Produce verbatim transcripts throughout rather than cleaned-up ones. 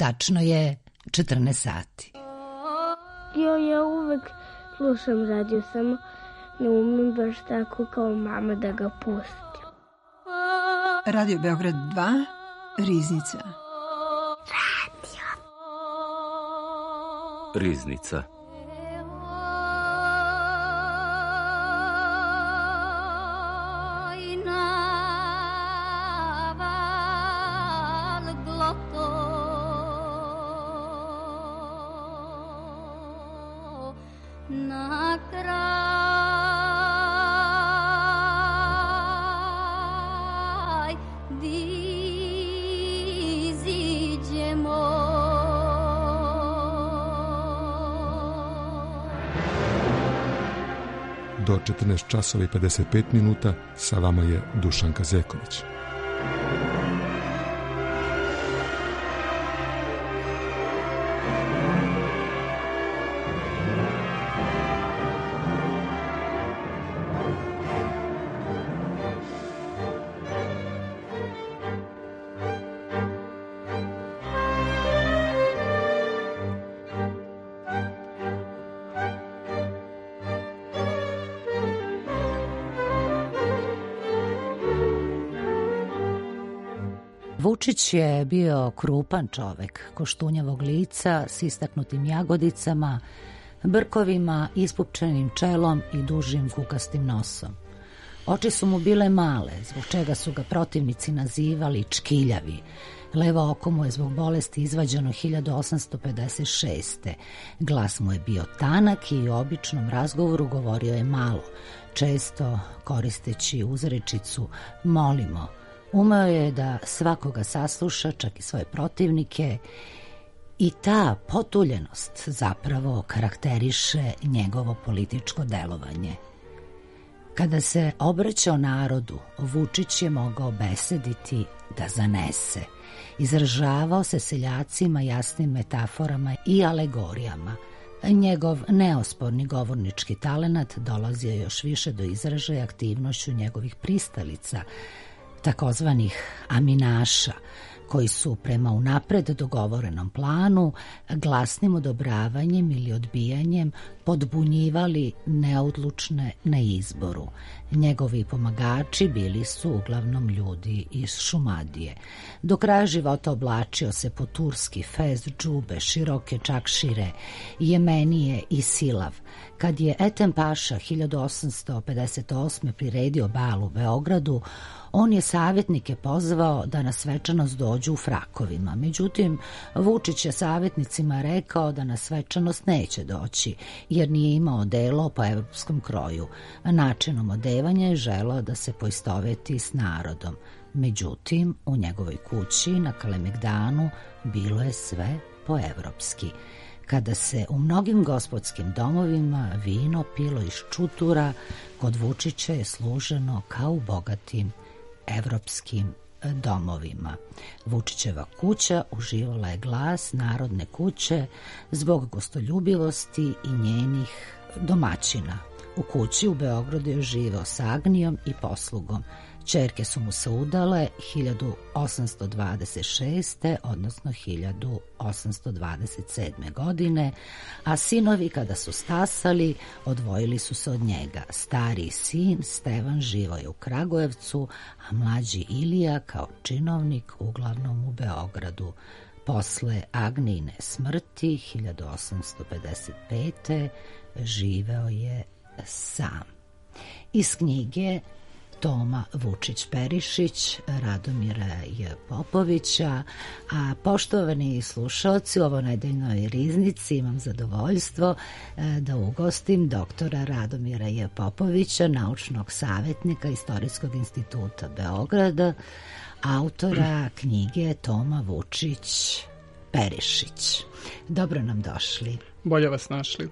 Tačno je četrnaest sati. Jo, ja uvek slušam radio, samo ne umem baš tako kao mama da ga pustim. Radio Beograd dva, Riznica. Radio. Riznica. Do četrnaest časova i pedeset pet minuta sa vama je Dušanka Zeković. Vučić je bio krupan čovek, koštunjavog lica s istaknutim jagodicama, brkovima, ispupčenim čelom i dužim kukastim nosom. Oči su mu bile male, zbog čega su ga protivnici nazivali čkiljavi. Levo oko mu je zbog bolesti izvađeno hiljadu osamsto pedeset šeste. Glas mu je bio tanak i u običnom razgovoru govorio je malo, često koristeći uzrečicu molimo. Umeo je da svakoga sasluša, čak i svoje protivnike, i ta potuljenost zapravo karakteriše njegovo političko delovanje. Kada se obraćao narodu, Vučić je mogao besediti da zanese. Izražavao se seljacima jasnim metaforama i alegorijama. Njegov neosporni govornički talenat dolazio još više do izražaja aktivnošću njegovih pristalica, takozvanih aminaša, koji su prema unapred dogovorenom planu glasnim odobravanjem ili odbijanjem podbunjivali neodlučne na izboru. Njegovi pomagači bili su uglavnom ljudi iz Šumadije. Do kraja života oblačio se po turski, fez, džube, široke čakšire, jemenije i silav. Kad je Ethem Paša hiljadu osamsto pedeset osme priredio bal u Beogradu, on je savjetnike pozvao da na svečanost dođu u frakovima. Međutim, Vučić je savjetnicima rekao da na svečanost neće doći, jer nije imao odelo po evropskom kroju. Načinom odevanja je želeo da se poistoveti s narodom. Međutim, u njegovoj kući na Kalemegdanu bilo je sve poevropski. Kada se u mnogim gospodskim domovima vino pilo iz čutura, kod Vučića je služeno kao u bogatim evropskim domovima. Vučićeva kuća uživala je glas narodne kuće zbog gostoljubivosti i njenih domaćina. U kući u Beogradu je živeo s Agnijom i poslugom. Ćerke su mu se udale hiljadu osamsto dvadeset šeste. odnosno hiljadu osamsto dvadeset sedme. godine, a sinovi kada su stasali odvojili su se od njega. Stariji sin Stevan živao je u Kragujevcu, a mlađi Ilija kao činovnik uglavnom u Beogradu. Posle Agnijine smrti hiljadu osamsto pedeset pete. živeo je sam. Iz knjige Toma Vučić-Perišić, Radomira J. Popovića, a poštovani slušalci, u ovoj nedeljnoj riznici imam zadovoljstvo da ugostim doktora Radomira J. Popovića, naučnog savjetnika Istorijskog instituta Beograda, autora knjige Toma Vučić-Perišić. Dobro nam došli. Bolje vas našli.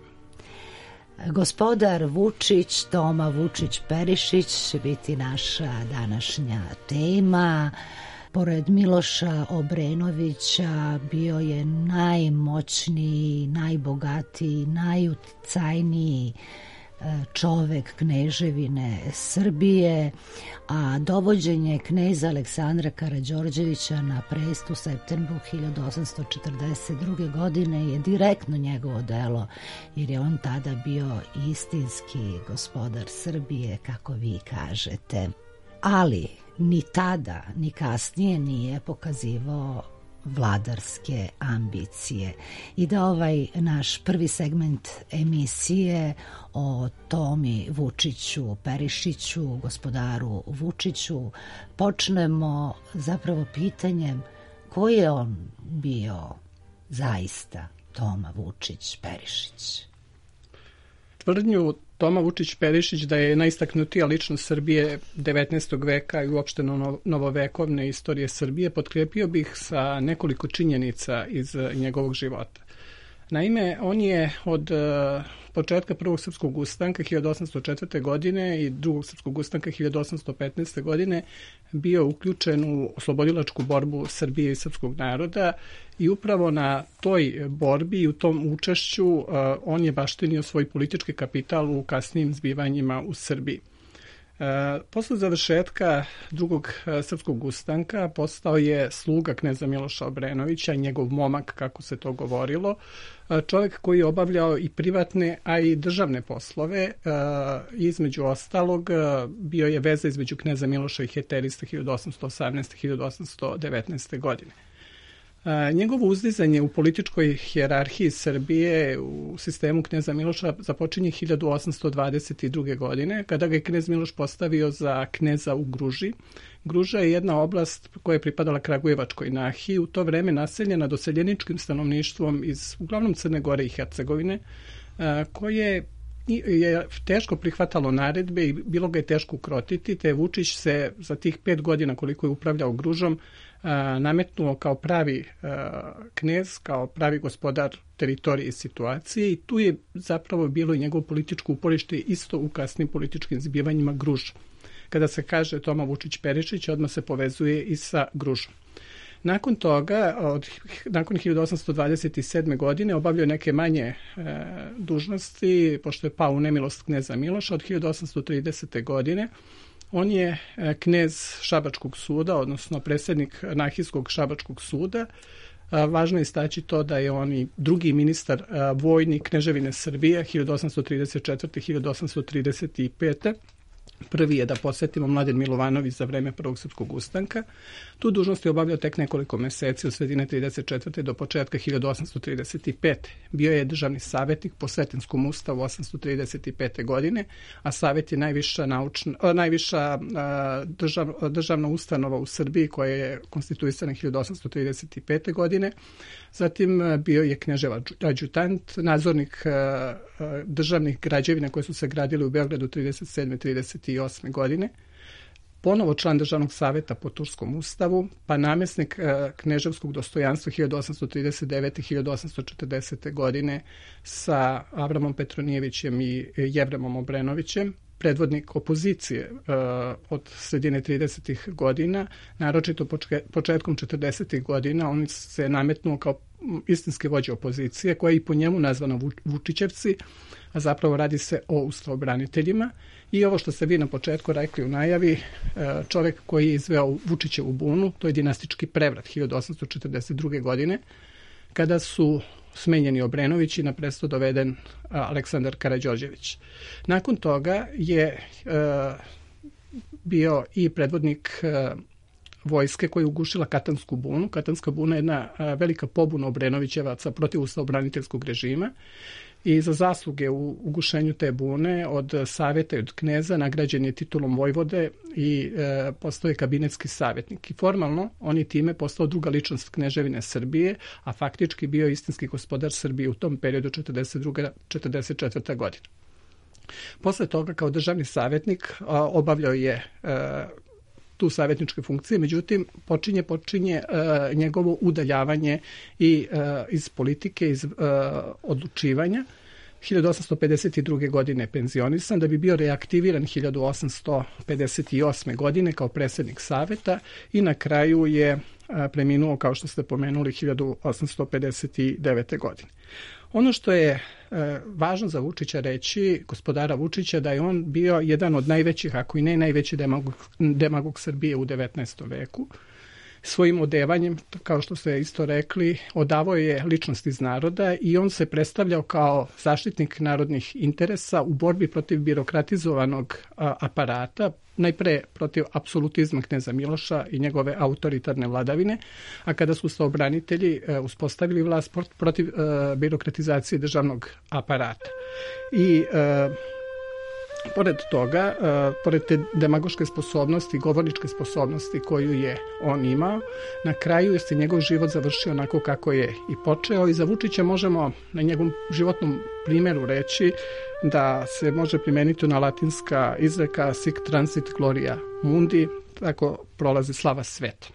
Gospodar Vučić, Toma Vučić-Perišić će biti naša današnja tema. Pored Miloša Obrenovića bio je najmoćniji, najbogatiji, najuticajniji čovek kneževine Srbije, a dovođenje kneza Aleksandra Karađorđevića na presto u septembru hiljadu osamsto četrdeset druge. godine je direktno njegovo delo, jer je on tada bio istinski gospodar Srbije, kako vi kažete. Ali ni tada, ni kasnije nije pokazivao vladarske ambicije. I da ovaj naš prvi segment emisije o Tomi Vučiću Perišiću, gospodaru Vučiću, počnemo zapravo pitanjem ko je on bio zaista, Toma Vučić Perišić. Tvrdnju Toma Vučić Perišić da je najistaknutija ličnost Srbije devetnaestog veka i uopšte novovekovne istorije Srbije potkrepio bih sa nekoliko činjenica iz njegovog života. Naime, on je od početka prvog srpskog ustanka hiljadu osamsto četvrte. godine i drugog srpskog ustanka hiljadu osamsto petnaeste. godine bio uključen u oslobodilačku borbu Srbije i srpskog naroda i upravo na toj borbi i u tom učešću on je baštinio svoj politički kapital u kasnijim zbivanjima u Srbiji. Posle završetka drugog srpskog ustanka postao je sluga kneza Miloša Obrenovića, njegov momak, kako se to govorilo, čovjek koji je obavljao i privatne, a i državne poslove. Između ostalog, bio je veza između kneza Miloša i Heterista hiljadu osamsto osamnaeste. do hiljadu osamsto devetnaeste. godine. Njegovo uzdizanje u političkoj hijerarhiji Srbije u sistemu kneza Miloša započinje hiljadu osamsto dvadeset druge. godine, kada ga je knez Miloš postavio za kneza u Gruži. Gruža je jedna oblast koja je pripadala Kragujevačkoj nahiji, u to vreme naseljena doseljeničkim stanovništvom iz uglavnom Crne Gore i Hercegovine, koje je teško prihvatalo naredbe i bilo ga je teško ukrotiti, te Vučić se za tih pet godina koliko je upravljao Gružom nametnuo kao pravi knez, kao pravi gospodar teritorije i situacije, i tu je zapravo bilo i njegovo političko uporište isto u kasnim političkim zbivanjima Gruža. Kada se kaže Toma Vučić Perišić, odmah se povezuje i sa Gružom. Nakon toga, od, nakon hiljadu osamsto dvadeset sedme. godine, obavljao neke manje e, dužnosti, pošto je pao u nemilost kneza Miloša. Od hiljadu osamsto tridesete. godine on je e, knez Šabačkog suda, odnosno predsjednik Nahijskog Šabačkog suda. A, važno je istaći to da je on i drugi ministar a, vojni Kneževine Srbije hiljadu osamsto trideset četvrte. do hiljadu osamsto trideset pete. Prvi je, da podsjetimo, Mladen Milovanović za vreme prvog srpskog ustanka. Tu dužnost je obavljao tek nekoliko meseci od sredine trideset četvrte. do početka hiljadu osamsto trideset pete. Bio je državni savjetnik po Srpskom ustavu osamsto trideset pete. godine, a savjet je najviša, naučna, najviša držav, državna ustanova u Srbiji koja je konstituisana hiljadu osamsto trideset pete. godine. Zatim bio je knježev adjutant, nadzornik državnih građevina koje su se gradile u Beogradu trideset sedme. trideset osme. godine. Ponovo član državnog savjeta po Turskom ustavu, pa namjesnik kneževskog dostojanstva hiljadu osamsto trideset devete. do hiljadu osamsto četrdesete. godine sa Avramom Petronijevićem i Jevremom Obrenovićem, predvodnik opozicije uh, od sredine tridesetih godina, naročito početkom četrdesetih godina, on se nametnuo kao istinski vođa opozicije, koja je i po njemu nazvana Vučićevci, a zapravo radi se o ustavobraniteljima. I ovo što ste vi na početku rekli u najavi, čovjek koji je izveo Vučićevu bunu, to je dinastički prevrat hiljadu osamsto četrdeset druge. godine, kada su smenjeni Obrenović i na presto doveden Aleksandar Karađorđević. Nakon toga je e, bio i predvodnik e, vojske koja je ugušila Katansku bunu. Katanska buna je jedna e, velika pobuna Obrenovićevaca protiv ustavobraniteljskog režima i za zasluge u ugušenju te bune od savjeta i od kneza nagrađen je titulom vojvode i e, postao je kabinetski savjetnik. I formalno on je time postao druga ličnost Kneževine Srbije, a faktički bio istinski gospodar Srbije u tom periodu četrdeset druga. do četrdeset četvrte. godine. Posle toga kao državni savjetnik a, obavljao je e, tu savjetničke funkcije, međutim počinje počinje uh, njegovo udaljavanje i uh, iz politike, iz uh, odlučivanja. hiljadu osamsto pedeset druge. godine penzionisan, da bi bio reaktiviran hiljadu osamsto pedeset osme. godine kao predsjednik savjeta i na kraju je uh, preminuo, kao što ste pomenuli, hiljadu osamsto pedeset devete. godine. Ono što je e, važno za Vučića reći, gospodara Vučića, da je on bio jedan od najvećih, ako i ne najveći demagog, demagog Srbije u devetnaestom veku. Svojim odevanjem, kao što ste isto rekli, odavao je ličnost iz naroda i on se predstavljao kao zaštitnik narodnih interesa u borbi protiv birokratizovanog a, aparata, najpre protiv apsolutizma kneza Miloša i njegove autoritarne vladavine, a kada su saobranitelji e, uspostavili vlast protiv e, birokratizacije državnog aparata. I e, pored toga, uh, pored te demagoške sposobnosti, govorničke sposobnosti koju je on imao, na kraju se njegov život završio onako kako je i počeo i za Vučića možemo na njegovom životnom primjeru reći da se može primeniti na latinska izreka sic transit gloria mundi, tako prolazi slava sveta.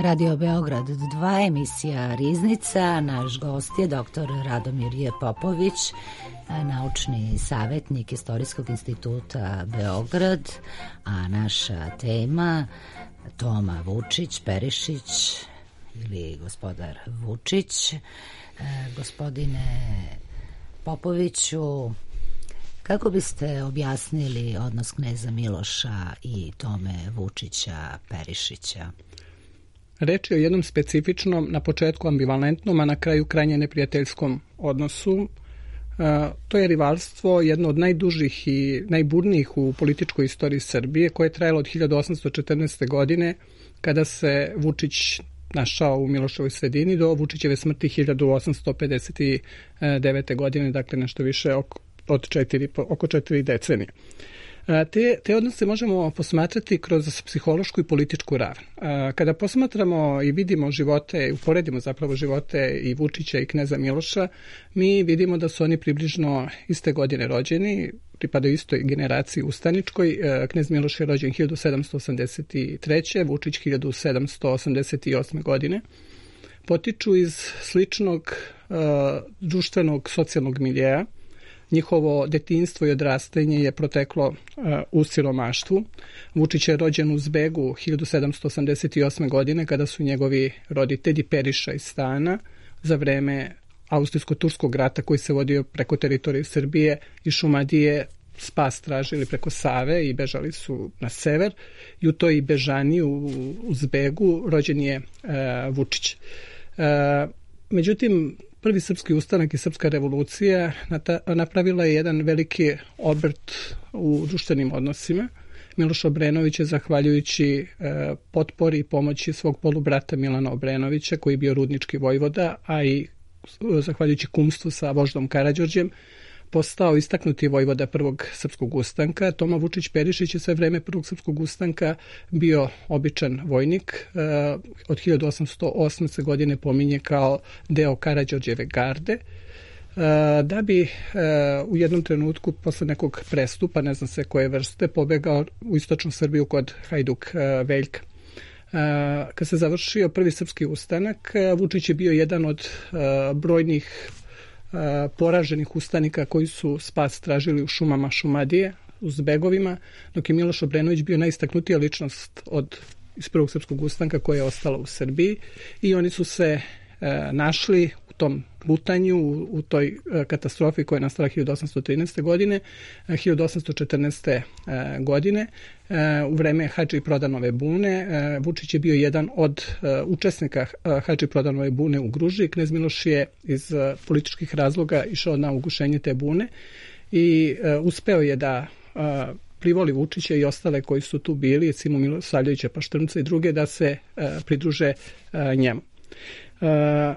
Radio Beograd dva, emisija Riznica. Naš gost je doktor Radomir J. Popović, naučni savjetnik Istorijskog instituta Beograd, a naša tema Toma Vučić, Perišić ili gospodar Vučić. E, gospodine Popoviću, kako biste objasnili odnos kneza Miloša i Tome Vučića Perišića? Reč je o jednom specifičnom, na početku ambivalentnom, a na kraju krajnje neprijateljskom odnosu. To je rivalstvo jedno od najdužih i najburnijih u političkoj istoriji Srbije, koje je trajalo od hiljadu osamsto četrnaeste. godine, kada se Vučić našao u Miloševoj sredini, do Vučićeve smrti hiljadu osamsto pedeset devete. godine, dakle nešto više od četiri, oko četiri decenije. Te, te odnose možemo posmatrati kroz psihološku i političku ravan. Kada posmatramo i vidimo živote, uporedimo zapravo živote i Vučića i kneza Miloša, mi vidimo da su oni približno iste godine rođeni, pripadaju istoj generaciji ustaničkoj. Knez Miloš je rođen hiljadu sedamsto osamdeset treće. Vučić hiljadu sedamsto osamdeset osme. godine. Potiču iz sličnog uh, društvenog socijalnog miljeja. Njihovo detinjstvo i odrastanje je proteklo uh, u siromaštvu. Vučić je rođen u Zbegu hiljadu sedamsto osamdeset osme. godine, kada su njegovi roditelji Periša iz Stana za vreme Austrijsko-turskog rata koji se vodio preko teritorije Srbije i Šumadije spas tražili preko Save i bežali su na sever. I u toj bežani u, u Zbegu rođen je uh, Vučić. Uh, međutim, prvi srpski ustanak i srpska revolucija napravila je jedan veliki obrt u društvenim odnosima. Miloš Obrenović je, zahvaljujući e, potpori i pomoći svog polubrata Milana Obrenovića, koji je bio rudnički vojvoda, a i zahvaljujući kumstvu sa voždom Karađorđem, postao istaknuti vojvoda prvog srpskog ustanka. Toma Vučić Perišić je sve vreme prvog srpskog ustanka bio običan vojnik. Od hiljadu osamsto osme. godine pominje kao deo Karađorđeve garde, da bi u jednom trenutku posle nekog prestupa, ne znam se koje vrste, pobegao u istočnu Srbiju kod Hajduk Veljka. Kad se završio prvi srpski ustanak, Vučić je bio jedan od brojnih poraženih ustanika koji su spas tražili u šumama Šumadije, u Zbegovima, dok je Miloš Obrenović bio najistaknutija ličnost od iz prvog srpskog ustanka koja je ostala u Srbiji i oni su se e, našli u tom lutanju, u, u toj e, katastrofi koja je nastala hiljadu osamsto trinaeste. godine, e, hiljadu osamsto četrnaeste. E, godine, e, u vreme Hadži Prodanove bune. E, Vučić je bio jedan od e, učesnika e, Hadži Prodanove bune u Gruži. Knez Miloš je iz e, političkih razloga išao na ugušenje te bune i e, uspeo je da e, privoli Vučića i ostale koji su tu bili, Simu Milosavljevića, Paštrmca i druge, da se e, pridruže e, njemu. E,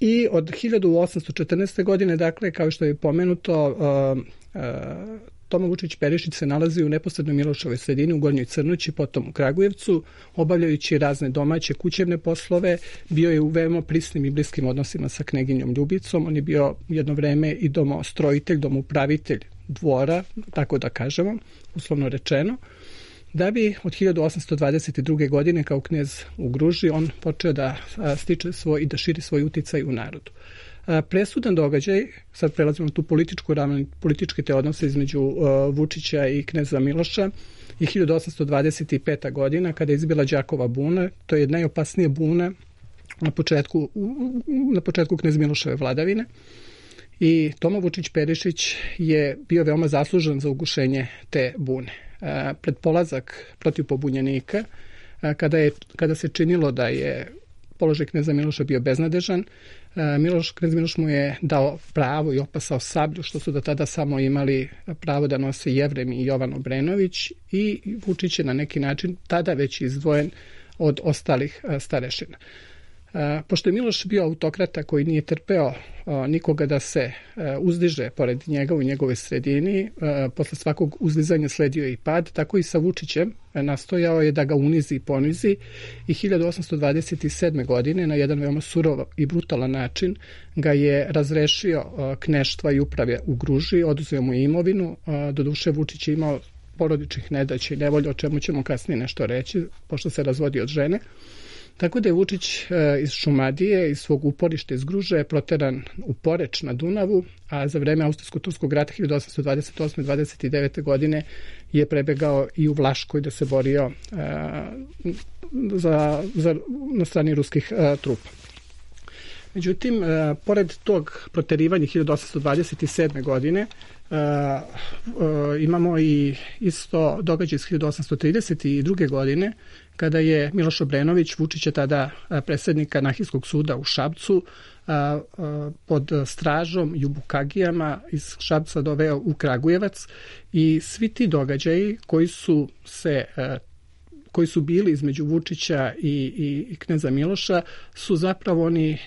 I od hiljadu osamsto četrnaeste. godine, dakle, kao što je pomenuto, e, e, Toma Vučić Perišić se nalazi u neposrednoj Miloševoj sredini u Gornjoj Crnoći, potom u Kragujevcu, obavljajući razne domaće kućevne poslove. Bio je u veoma prisnim i bliskim odnosima sa kneginjom Ljubicom. On je bio jedno vreme i domostrojitelj, domoupravitelj dvora, tako da kažemo, uslovno rečeno, da bi od hiljadu osamsto dvadeset druge. godine kao knez u Gruži on počeo da stiče svoj i da širi svoj uticaj u narodu. Presudan događaj, sad prelazimo na tu političku ravnu, političke te odnose između uh, Vučića i kneza Miloša, i hiljadu osamsto dvadeset peta. godina kada je izbila Đakova buna. To je najopasnija buna na početku, na početku knez Miloševe vladavine. I Toma Vučić Perišić je bio veoma zaslužan za ugušenje te bune. Uh, pred polazak protiv pobunjenika, uh, kada, je, kada se činilo da je položaj kneza Miloša bio beznadežan, Miloš, knez Miloš mu je dao pravo i opasao sablju, što su do tada samo imali pravo da nose Jevrem i Jovan Obrenović, i Vučić je na neki način tada već izdvojen od ostalih starešina. Pošto je Miloš bio autokrata koji nije trpeo nikoga da se uzdiže pored njega u njegovoj sredini, posle svakog uzdizanja sledio i pad, tako i sa Vučićem nastojao je da ga unizi i ponizi, i hiljadu osamsto dvadeset sedme. godine na jedan veoma surov i brutalan način ga je razrešio kneštva i uprave u Gruži, oduzeo mu imovinu. Doduše Vučić je imao porodičnih nedaća i nevolja, o čemu ćemo kasnije nešto reći, pošto se razvodi od žene. Tako da je Vučić iz Šumadije, iz svog uporišta iz Gruže, proteran u Poreč na Dunavu, a za vreme Austrijsko-turskog rata hiljadu osamsto dvadeset osme. dvadeset devete. godine je prebegao i u Vlaškoj da se borio za, za, na strani ruskih trupa. Međutim, pored tog proterivanja hiljadu osamsto dvadeset sedme. godine, Uh, uh, imamo i isto događaj iz hiljadu osamsto trideset druge. godine, kada je Miloš Obrenović, Vučića tada predsednika Nahijskog suda u Šapcu, uh, uh, pod stražom i u bukagijama iz Šapca doveo u Kragujevac, i svi ti događaji koji su se uh, koji su bili između Vučića i, i, i kneza Miloša su zapravo oni e,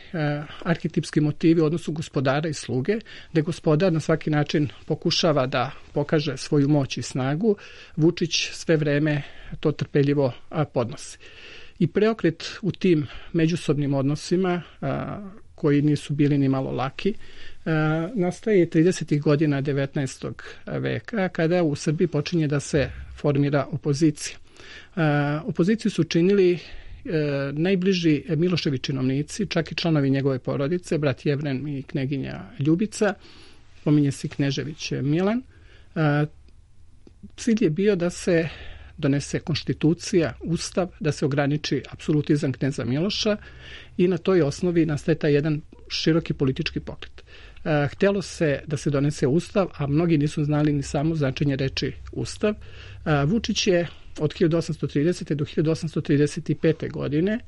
arhetipski motivi u odnosu gospodara i sluge, gde gospodar na svaki način pokušava da pokaže svoju moć i snagu. Vučić sve vreme to trpeljivo a, podnosi. I preokret u tim međusobnim odnosima, a, koji nisu bili ni malo laki, a, nastaje tridesetih godina devetnaestog. veka, kada u Srbiji počinje da se formira opozicija. Uh, opoziciju su činili uh, najbliži Miloševi činovnici, čak i članovi njegove porodice, brat Jevren i kneginja Ljubica, pominje se Knežević Milan. Uh, cilj je bio da se donese konstitucija, ustav, da se ograniči apsolutizam kneza Miloša, i na toj osnovi nastaje taj jedan široki politički pokret. Uh, htelo se da se donese ustav, a mnogi nisu znali ni samo značenje reči ustav. Uh, Vučić je od hiljadu osamsto tridesete. do hiljadu osamsto trideset pete. godine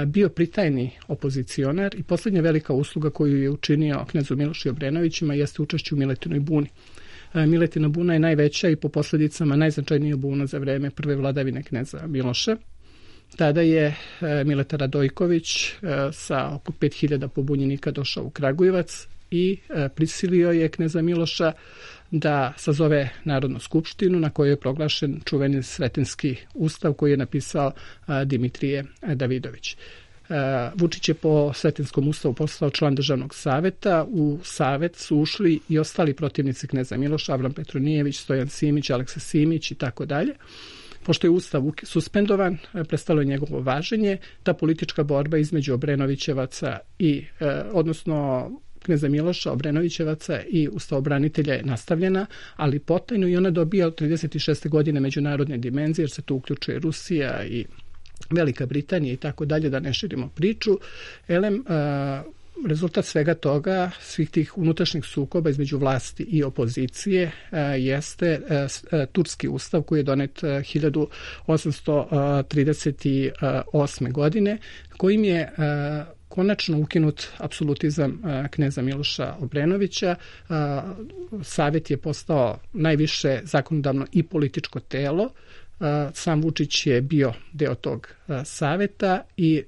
bio pritajni opozicionar, i poslednja velika usluga koju je učinio knezu Milošu i Obrenovićima jeste učešće u Miletinoj buni. Miletina buna je najveća i po posledicama najznačajnija buna za vreme prve vladavine kneza Miloša. Tada je Mileta Radojković sa oko pet hiljada pobunjenika došao u Kragujevac i prisilio je kneza Miloša da sazove Narodnu skupštinu, na kojoj je proglašen čuveni Sretenski ustav koji je napisao Dimitrije Davidović. Vučić je po Sretenskom ustavu postao član državnog saveta. U savet su ušli i ostali protivnici kneza Miloša, Avram Petronijević, Stojan Simić, Aleksa Simić i tako dalje. Pošto je Ustav suspendovan, prestalo je njegovo važenje, ta politička borba između Obrenovićevaca i, odnosno kneza Miloša, Obrenovićevaca i ustavobranitelja je nastavljena, ali potajno, i ona dobija od trideset šeste godine međunarodne dimenzije, jer se tu uključuje Rusija i Velika Britanija i tako dalje, da ne širimo priču. Elem, rezultat svega toga, svih tih unutrašnjih sukoba između vlasti i opozicije jeste Turski ustav koji je donet hiljadu osamsto trideset osme. godine, kojim je konačno ukinut apsolutizam kneza Miloša Obrenovića. Savjet je postao najviše zakonodavno i političko telo. Sam Vučić je bio deo tog saveta i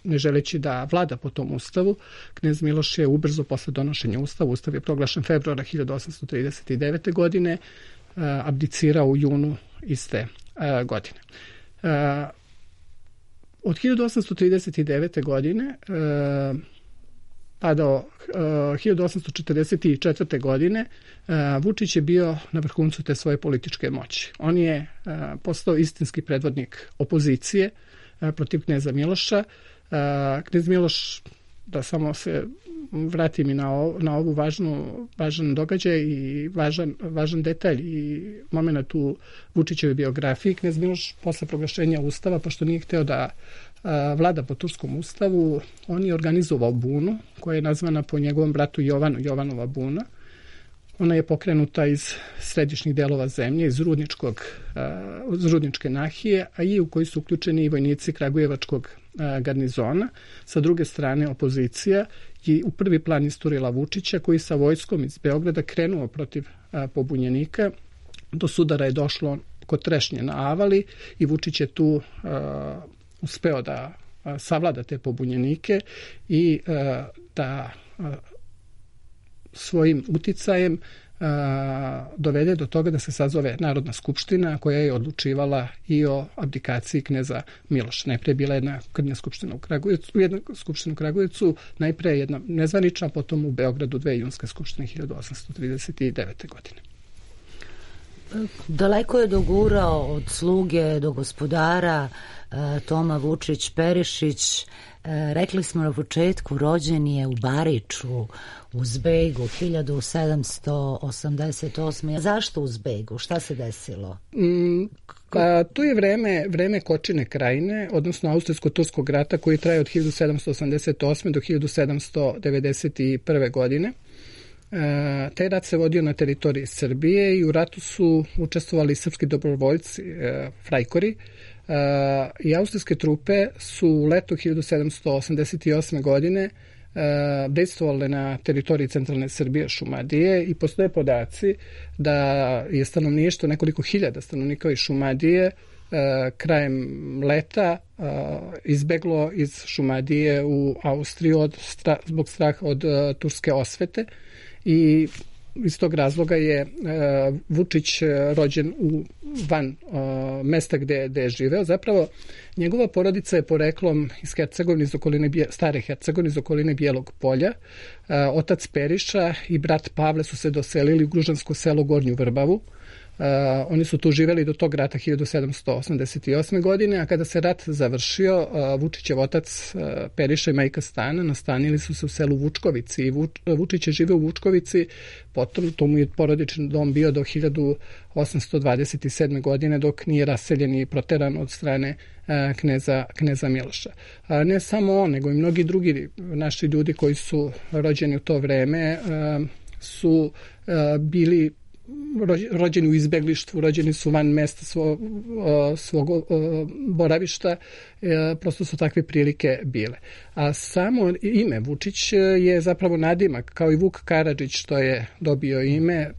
ne želeći da vlada po tom ustavu, knez Miloš je ubrzo posle donošenja ustava, ustav je proglašen februara hiljadu osamsto trideset devete. godine, abdicirao u junu iste godine. Od hiljadu osamsto trideset devete. godine pa do hiljadu osamsto četrdeset četvrte. godine Vučić je bio na vrhuncu te svoje političke moći. On je postao istinski predvodnik opozicije protiv kneza Miloša. Knez Miloš, da samo se vratim i na, ovo, na ovu važnu, važan događaj i važan, važan detalj i moment u Vučićevoj biografiji, knez Miloš posle proglašenja ustava, pošto nije hteo da a, vlada po turskom ustavu, on je organizovao bunu koja je nazvana po njegovom bratu Jovanu, Jovanova buna. Ona je pokrenuta iz središnjih delova zemlje, iz Rudničkog, iz Rudničke nahije, a i u koji su uključeni i vojnici Kragujevačkog garnizona. Sa druge strane, opozicija je u prvi plan isturila Vučića, koji sa vojskom iz Beograda krenuo protiv pobunjenika. Do sudara je došlo kod Trešnje na Avali i Vučić je tu a, uspeo da a, savlada te pobunjenike i a, da a, svojim uticajem a, dovede do toga da se sazove Narodna skupština koja je odlučivala i o abdikaciji kneza Miloša. Najprije je bila jedna krnja skupština u Kragujevcu, jedna skupština u Kragujevcu, najprije jedna nezvanična, potom u Beogradu dve junske skupštine hiljadu osamsto trideset devete. godine. Daleko je dogurao od sluge do gospodara Toma Vučić Perišić. Rekli smo na početku, rođen je u Bariču, u Zbegu, hiljadu sedamsto osamdeset osme. Zašto u Zbegu? Šta se desilo? Mm, a, tu je vreme, vreme Kočine krajine, odnosno Austrijsko-Turskog rata koji traje od hiljadu sedamsto osamdeset osme. do hiljadu sedamsto devedeset prve. godine. E, taj rat se vodio na teritoriji Srbije i u ratu su učestvovali srpski dobrovoljci, e, frajkori, e, i austrijske trupe su u letu hiljadu sedamsto osamdeset osme. godine e, dejstvovale na teritoriji centralne Srbije, Šumadije, i postoje podaci da je stanovništvo, nekoliko hiljada stanovnika iz Šumadije, e, krajem leta e, izbeglo iz Šumadije u Austriju od stra, zbog straha od e, turske osvete. I iz tog razloga je e, Vučić rođen u van e, mesta gde, gde je živeo. Zapravo, njegova porodica je poreklom iz Hercegovine, iz okoline, stare Hercegovine, iz okoline Bijelog polja. E, otac Periša i brat Pavle su se doselili u gružansko selo Gornju Vrbavu. Uh, oni su tu živeli do tog rata hiljadu sedamsto osamdeset osme. godine, a kada se rat završio, uh, Vučićev otac uh, Periša i majka Stana nastanili su se u selu Vučkovici i Vuč, Vučić je živeo u Vučkovici, potom to mu je porodični dom bio do hiljadu osamsto dvadeset sedme. godine, dok nije raseljen i proteran od strane uh, kneza, kneza Miloša. Uh, ne samo on, nego i mnogi drugi naši ljudi koji su rođeni u to vreme uh, su uh, bili rođeni u izbeglištvu, rođeni su van mesta svog, svog boravišta, prosto su takve prilike bile. A samo ime Vučić je zapravo nadimak, kao i Vuk Karadžić što je dobio ime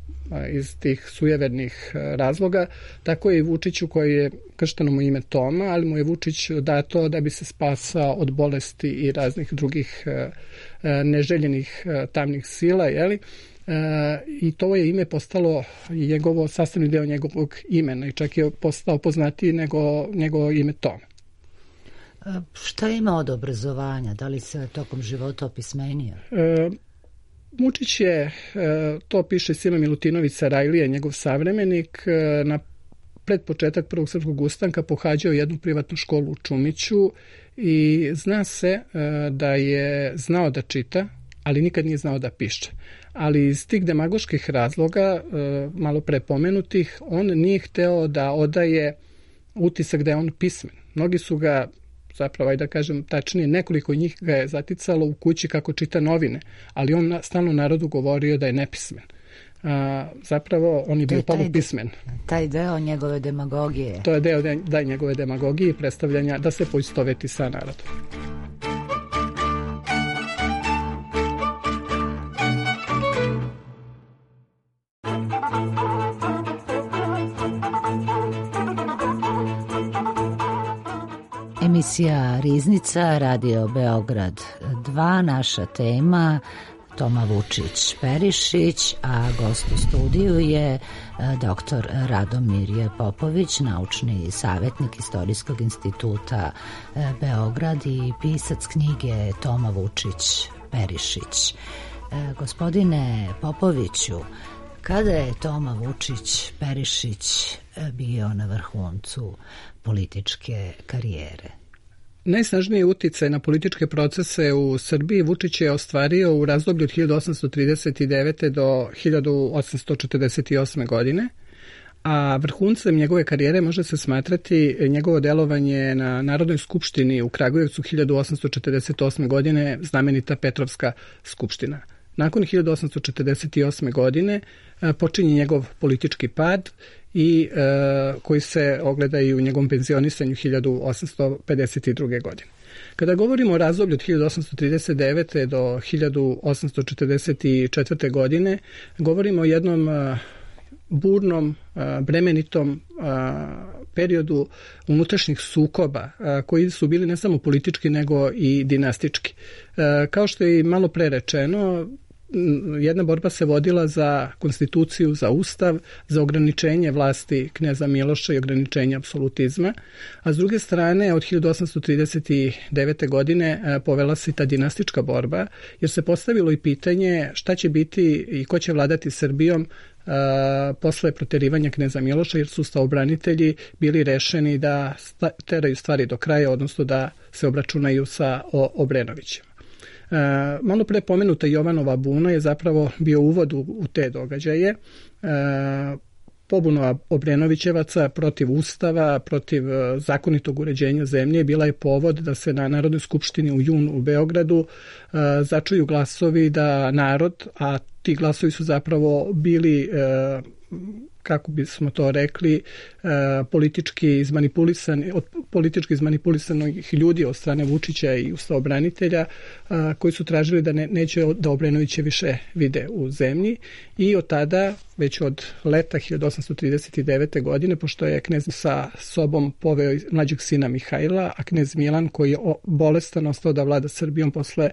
iz tih sujevernih razloga, tako je i Vučiću koji je kršteno mu ime Toma, ali mu je Vučić dato da bi se spasao od bolesti i raznih drugih neželjenih tamnih sila, jeli? E, i to je ime postalo njegovo sastavni deo njegovog imena i čak je postao poznatiji nego njegovo ime Tom. E, šta ima od obrazovanja? Da li se tokom života opismenio? E, Vučić je, e, to piše Sima Milutinović Sarajlija, njegov savremenik, e, na pred početak Prvog srpskog ustanka pohađao jednu privatnu školu u Čumiću i zna se da je znao da čita, ali nikad nije znao da piše. Ali iz tih demagoških razloga, malo pre pomenutih, on nije hteo da odaje utisak da je on pismen. Mnogi su ga, zapravo, aj da kažem tačnije, nekoliko njih ga je zaticalo u kući kako čita novine, ali on stalno narodu govorio da je nepismen. A, zapravo, on je bio polupismen. Taj deo njegove demagogije. To je deo da njegove demagogije i predstavljanja da se poistoveti sa narodom. Emisija Riznica, Radio Beograd dva, naša tema Toma Vučić-Perišić, a gost u studiju je doktor Radomir Popović, naučni savjetnik Istorijskog instituta Beograd i pisac knjige Toma Vučić-Perišić. Gospodine Popoviću, kada je Toma Vučić-Perišić bio na vrhuncu političke karijere? Najsnažniji uticaj na političke procese u Srbiji Vučić je ostvario u razdoblju od hiljadu osamsto trideset devete. do hiljadu osamsto četrdeset osme. godine, a vrhuncem njegove karijere može se smatrati njegovo delovanje na Narodnoj skupštini u Kragujevcu hiljadu osamsto četrdeset osme. godine, znamenita Petrovska skupština. Nakon hiljadu osamsto četrdeset osme. godine počinje njegov politički pad i e, koji se ogleda i u njegovom penzionisanju hiljadu osamsto pedeset druge. godine. Kada govorimo o razdoblju od hiljadu osamsto trideset devete. do hiljadu osamsto četrdeset četvrte. godine, govorimo o jednom a, burnom, a, bremenitom a, periodu unutrašnjih sukoba a, koji su bili ne samo politički nego i dinastički. A, kao što je i malo pre rečeno, jedna borba se vodila za konstituciju, za ustav, za ograničenje vlasti kneza Miloša i ograničenje apsolutizma, a s druge strane od hiljadu osamsto trideset devete. godine povela se ta dinastička borba, jer se postavilo i pitanje šta će biti i ko će vladati Srbijom Uh, posle proterivanja kneza Miloša, jer su stavobranitelji bili rešeni da sta, teraju stvari do kraja, odnosno da se obračunaju sa o, Obrenovićima. Uh, malo pre pomenuta Jovanova buna je zapravo bio uvod u, u te događaje. Uh, pobuna Obrenovićevaca protiv ustava, protiv uh, zakonitog uređenja zemlje bila je povod da se na Narodnoj skupštini u junu u Beogradu uh, začuju glasovi da narod, a ti glasovi su zapravo bili, uh, kako bismo to rekli, uh, politički izmanipulisani, od politički izmanipulisanih ljudi od strane Vučića i ustavobranitelja, uh, koji su tražili da ne, neće da Obrenoviće više vide u zemlji, i od tada, već od leta hiljadu osamsto trideset devete. godine, pošto je knez sa sobom poveo mlađeg sina Mihajla, a knez Milan, koji je bolestan, ostao da vlada Srbijom posle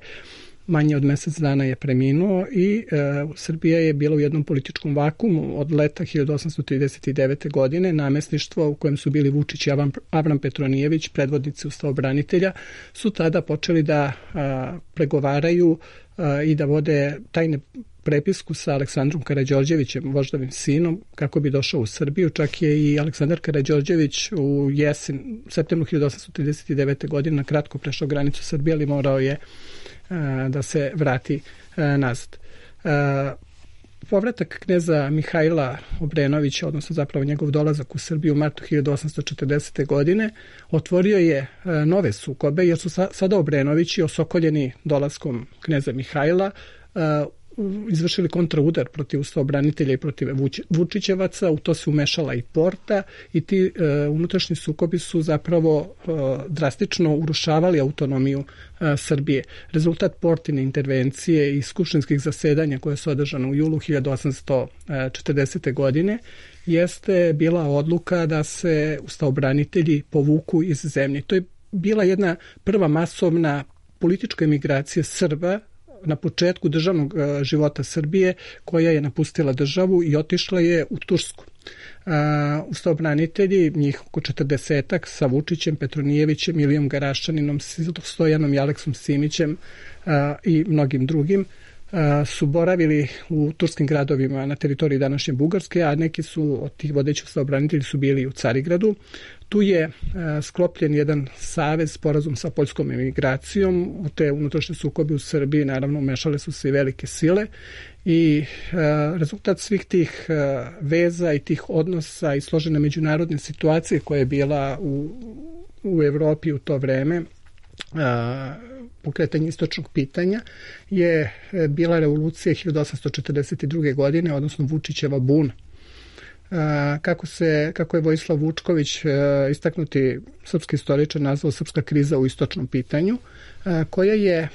manje od mesec dana je preminuo i e, Srbija je bila u jednom političkom vakuumu od leta hiljadu osamsto trideset devete. godine. Namestništvo u kojem su bili Vučić i Avram, Avram Petronijević, predvodnici ustavobranitelja, su tada počeli da a, pregovaraju a, i da vode tajne prepisku sa Aleksandrom Karađorđevićem, voždovim sinom, kako bi došao u Srbiju. Čak je i Aleksandar Karađorđević u jesen, u septembru hiljadu osamsto trideset devete. godine na kratko prešao granicu Srbije, ali morao je da se vrati nazad. Povratak kneza Mihajla Obrenovića, odnosno zapravo njegov dolazak u Srbiju u martu hiljadu osamsto četrdesete. godine, otvorio je nove sukobe, jer su sada Obrenovići, osokoljeni dolaskom kneza Mihajla, izvršili kontraudar protiv ustavobranitelja i protiv Vučićevaca. U to se umešala i Porta i ti e, unutrašnji sukobi su zapravo e, drastično urušavali autonomiju e, Srbije. Rezultat Portine intervencije i skupštinskih zasedanja koje su održane u julu hiljadu osamsto četrdesete. godine jeste bila odluka da se ustavobranitelji povuku iz zemlje. To je bila jedna prva masovna politička emigracija Srba na početku državnog života Srbije, koja je napustila državu i otišla je u Tursku. Uh, ustavobranitelji, njih oko četrdesetak, sa Vučićem, Petronijevićem, Ilijom Garaščaninom, Stojanom i Aleksom Simićem uh, i mnogim drugim, uh, su boravili u turskim gradovima na teritoriji današnje Bugarske, a neki su od tih vodećih ustavobranitelji su bili u Carigradu. Tu je sklopljen jedan savez, sporazum sa poljskom emigracijom. U te unutrašnje sukobe u Srbiji naravno umešale su se i velike sile i rezultat svih tih veza i tih odnosa i složene međunarodne situacije koja je bila u, u Evropi u to vreme, pokretanje istočnog pitanja, je bila revolucija hiljadu osamsto četrdeset druge. godine, odnosno Vučićeva buna. Kako, se, kako je Vojislav Vučković, istaknuti srpski istoričar, nazvao srpska kriza u istočnom pitanju, koja je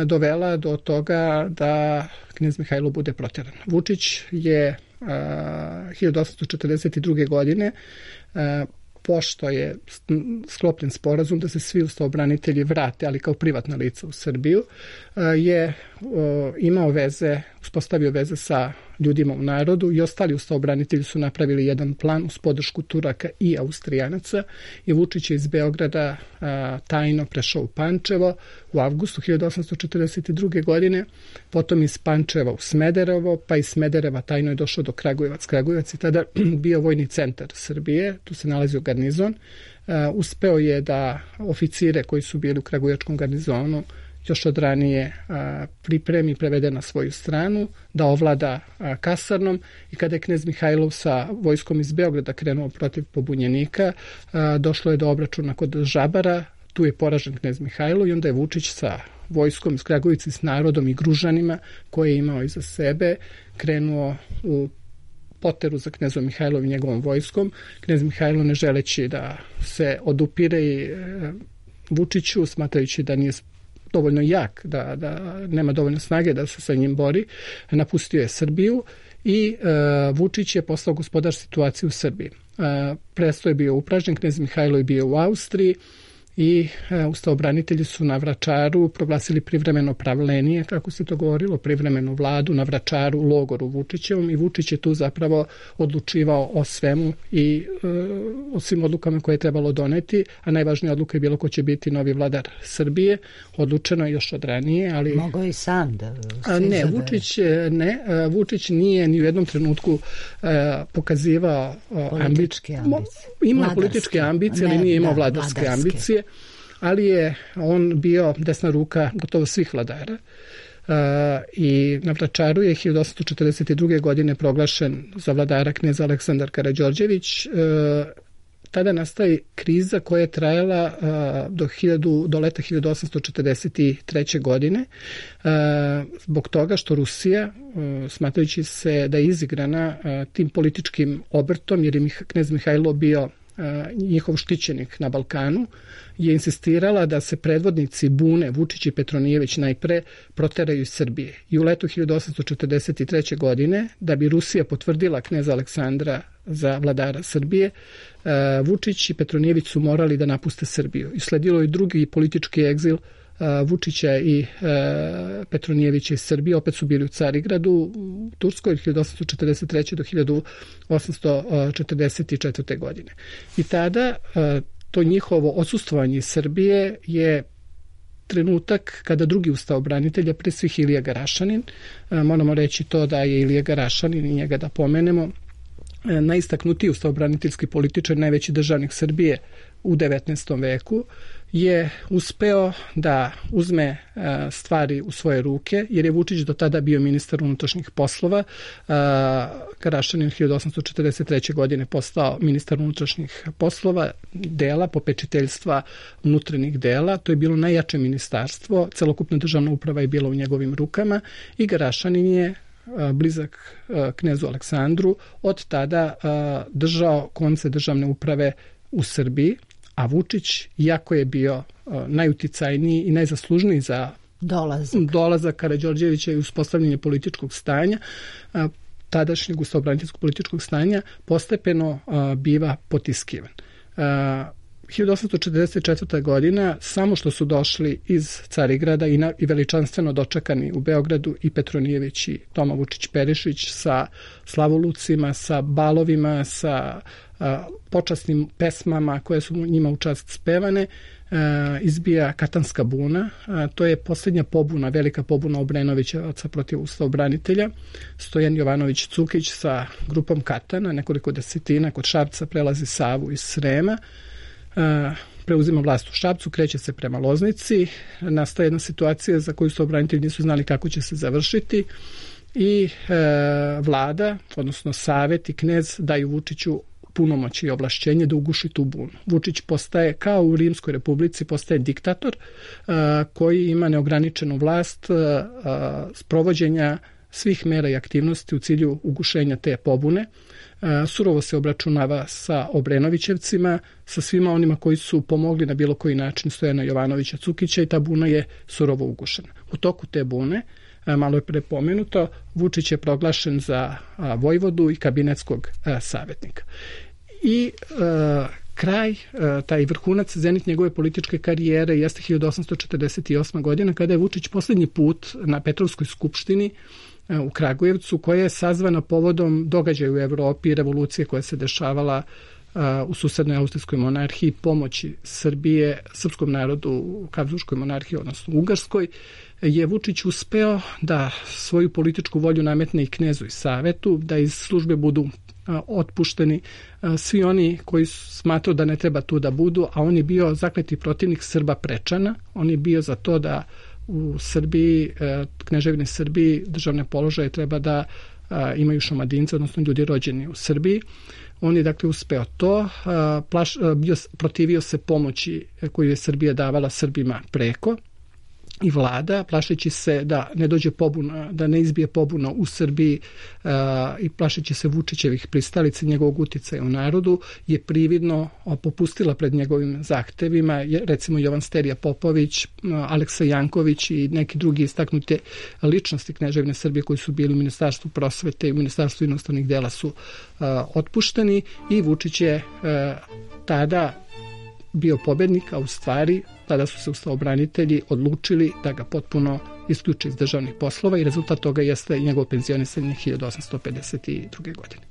dovela do toga da knez Mihajlo bude proteran. Vučić je hiljadu osamsto četrdeset druge. godine, pošto je sklopljen sporazum da se svi ustavobranitelji vrate, ali kao privatna lica u Srbiju, je imao veze, uspostavio veze sa ljudima u narodu i ostali ustavobranitelji su napravili jedan plan uz podršku Turaka i Austrijanaca i Vučić je iz Beograda a, tajno prešao u Pančevo u avgustu hiljadu osamsto četrdeset druge. godine, potom iz Pančeva u Smederevo, pa iz Smedereva tajno je došao do Kragujevac. Kragujevac je tada bio vojni centar Srbije, tu se nalazio garnizon. A, uspeo je da oficire koji su bili u Kragujevačkom garnizonu još od ranije a, pripremi, prevede na svoju stranu, da ovlada a, kasarnom i kada je knez Mihajlov sa vojskom iz Beograda krenuo protiv pobunjenika, a, došlo je do obračuna kod Žabara, tu je poražen knez Mihajlo i onda je Vučić sa vojskom iz Kragujevice, s narodom i Gružanima koje je imao iza sebe, krenuo u poteru za knezom Mihajlom i njegovom vojskom. Knez Mihajlo, ne želeći da se odupire i e, Vučiću, smatrajući da nije dovoljno jak, da, da nema dovoljno snage da se sa njim bori, napustio je Srbiju i e, Vučić je postao gospodar situacije u Srbiji. E, presto je bio upražnjen, knez Mihajlo je bio u Austriji i e, ustavobranitelji su na Vračaru proglasili privremeno pravlenije, kako se to govorilo, privremenu vladu na Vračaru, u logoru Vučićevom, i Vučić je tu zapravo odlučivao o svemu i e, o svim odlukama koje je trebalo doneti, a najvažnija odluka je bilo ko će biti novi vladar Srbije. Odlučeno je još od ranije, ali... Mogao i sam da... A, ne, Vučić, ne, Vučić nije ni u jednom trenutku e, pokazivao političke ambicije. Imao političke ambicije, ali nije imao vladarske, vladarske ambicije. Ali je on bio desna ruka gotovo svih vladara. Uh, i na Vračaru je hiljadu osamsto četrdeset druge. godine proglašen za vladara knez Aleksandar Karađorđević. Uh, tada nastaje kriza koja je trajala uh, do, hiljadu, do leta hiljadu osamsto četrdeset treće. godine uh, zbog toga što Rusija, uh, smatrajući se da je izigrana uh, tim političkim obrtom, jer je knez Mihajlo bio njihov štićenik na Balkanu, je insistirala da se predvodnici bune Vučić i Petronijević najpre proteraju iz Srbije. I u letu hiljadu osamsto četrdeset treće. godine, da bi Rusija potvrdila kneza Aleksandra za vladara Srbije, Vučić i Petronijević su morali da napuste Srbiju. I sledilo je drugi politički egzil Vučića i e, Petronijevića iz Srbije. Opet su bili u Carigradu, u Turskoj, od hiljadu osamsto četrdeset treće. do hiljadu osamsto četrdeset četvrte. godine. I tada e, to njihovo odsustvovanje iz Srbije je trenutak kada drugi ustavobranitelj, a pre svih Ilija Garašanin, e, moramo reći to da je Ilija Garašanin, i njega da pomenemo, e, najistaknutiji ustavobraniteljski političar, najveći državnik Srbije u devetnaestom veku, je uspeo da uzme stvari u svoje ruke, jer je Vučić do tada bio ministar unutrašnjih poslova. Karašanin hiljadu osamsto četrdeset treće. godine postao ministar unutrašnjih poslova, dela, popečiteljstva unutrašnjih dela. To je bilo najjače ministarstvo, celokupna državna uprava je bila u njegovim rukama i Garašanin je blizak knezu Aleksandru od tada držao konce državne uprave u Srbiji, a Vučić, iako je bio uh, najuticajniji i najzaslužniji za dolazak, dolazak Karađorđevića i uspostavljanje političkog stanja, uh, tadašnjeg ustavobraniteljskog političkog stanja, postepeno uh, biva potiskivan. Uh, hiljadu osamsto četrdeset četvrta. godina, samo što su došli iz Carigrada i, na, i veličanstveno dočekani u Beogradu i Petronijević i Toma Vučić-Perišić sa slavolucima, sa balovima, sa a, počasnim pesmama koje su njima u čast spevane, a, izbija Katanska buna. A, to je posljednja pobuna, velika pobuna Obrenovićevaca protiv ustavobranitelja. Stojan Jovanović Cukić sa grupom Katana, nekoliko desetina kod Šapca prelazi Savu iz Srema, a, preuzima vlast u Šapcu, kreće se prema Loznici, nastaje jedna situacija za koju ustavobranitelji nisu znali kako će se završiti i e, vlada, odnosno Savet i knez daju Vučiću punomoć i ovlašćenje da uguši tu bunu. Vučić postaje, kao u Rimskoj republici, postaje diktator a, koji ima neograničenu vlast a, a, sprovođenja svih mera i aktivnosti u cilju ugušenja te pobune. A, surovo se obračunava sa Obrenovićevcima, sa svima onima koji su pomogli na bilo koji način Stojana Jovanovića Cukića i ta buna je surovo ugušena. U toku te bune, malo je prepomenuto, Vučić je proglašen za a, vojvodu i kabinetskog a, savjetnika. I a, kraj, a, taj vrhunac, zenit njegove političke karijere jeste hiljadu osamsto četrdeset osma. godina, kada je Vučić posljednji put na Petrovskoj skupštini a, u Kragujevcu, koja je sazvana povodom događaja u Evropi, revolucije koja se dešavala a, u susednoj austrijskoj monarhiji, pomoći Srbije, srpskom narodu u Habsburškoj monarhiji, odnosno Ugarskoj, je Vučić uspeo da svoju političku volju nametne i knezu i Savetu, da iz službe budu a, otpušteni a, svi oni koji smatraju da ne treba tu da budu, a on je bio zakleti protivnik Srba Prečana. On je bio za to da u Srbiji, a, kneževini Srbiji, državne položaje treba da a, imaju šumadince, odnosno ljudi rođeni u Srbiji. On je dakle uspeo to, a, plaš, a, bio, protivio se pomoći koju je Srbija davala Srbima preko, i vlada, plašeći se da ne dođe pobuna, da ne izbije pobuna u Srbiji uh, i plašeći se Vučićevih pristalica, njegovog uticaja u narodu, je prividno popustila pred njegovim zahtevima. Je, recimo Jovan Sterija Popović, uh, Aleksa Janković i neki drugi istaknute ličnosti kneževine Srbije koji su bili u Ministarstvu prosvete i u Ministarstvu inostranih dela su uh, otpušteni i Vučić je uh, tada bio pobednik, a u stvari tada su se ustavobranitelji odlučili da ga potpuno isključe iz državnih poslova i rezultat toga jeste njegovo penzionisanje hiljadu osamsto pedeset druge. godine.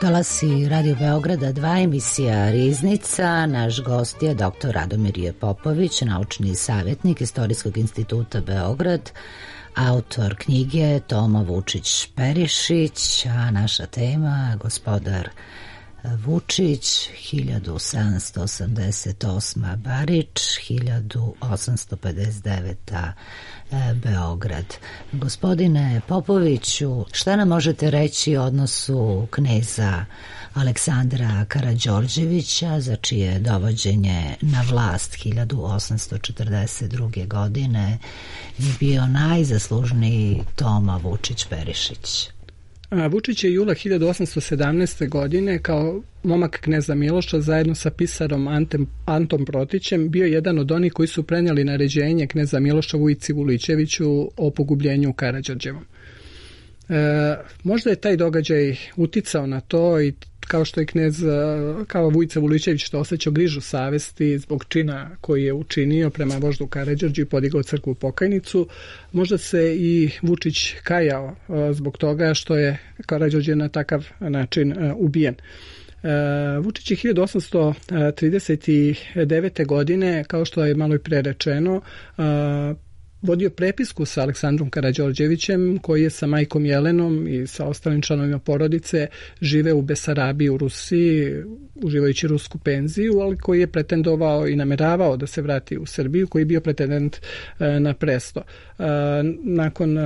Talasi Radio Beograda dva, emisija Riznica. Naš gost je doktor Radomir J. Popović, naučni savjetnik Istorijskog instituta Beograd, autor knjige Toma Vučić-Perišić, a naša tema gospodar Vučić, hiljadu sedamsto osamdeset osma. Barič, hiljadu osamsto pedeset deveta. Beograd. Gospodine Popoviću, šta nam možete reći o odnosu kneza Aleksandra Karađorđevića, za čije dovođenje na vlast hiljadu osamsto četrdeset druge. godine je bio najzaslužniji Toma Vučić-Perišić? Vučić je jula hiljadu osamsto sedamnaeste. godine kao momak kneza Miloša zajedno sa pisarom Antem, Antom Protićem bio jedan od onih koji su prenijeli naređenje kneza Miloša Vujici Vulićeviću o pogubljenju Karađorđevom. E, možda je taj događaj uticao na to i kao što je knez, kao Vujica Vulićević što osjećao grižu savesti zbog čina koji je učinio prema voždu Karađorđu i podigao crkvu Pokajnicu, možda se i Vučić kajao zbog toga što je Karađorđe na takav način ubijen. Vučić je hiljadu osamsto trideset devete. godine, kao što je malo i pre rečeno, vodio prepisku sa Aleksandrom Karađorđevićem, koji je sa majkom Jelenom i sa ostalim članovima porodice žive u Besarabiji u Rusiji, uživajući rusku penziju, ali koji je pretendovao i nameravao da se vrati u Srbiju, koji je bio pretendent na presto. Nakon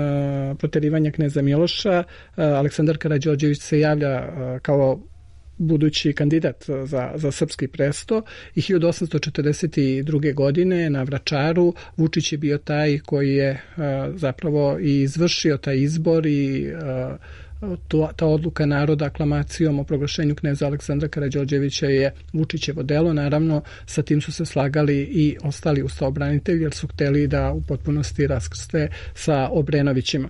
proterivanja kneza Miloša, Aleksandar Karađorđević se javlja kao budući kandidat za, za srpski presto i hiljadu osamsto četrdeset druge. godine na Vračaru Vučić je bio taj koji je a, zapravo i izvršio taj izbor i a, to, ta odluka naroda aklamacijom o proglašenju kneza Aleksandra Karađorđevića je Vučićevo delo. Naravno, sa tim su se slagali i ostali ustaobranitelji jer su hteli da u potpunosti raskrste sa Obrenovićima.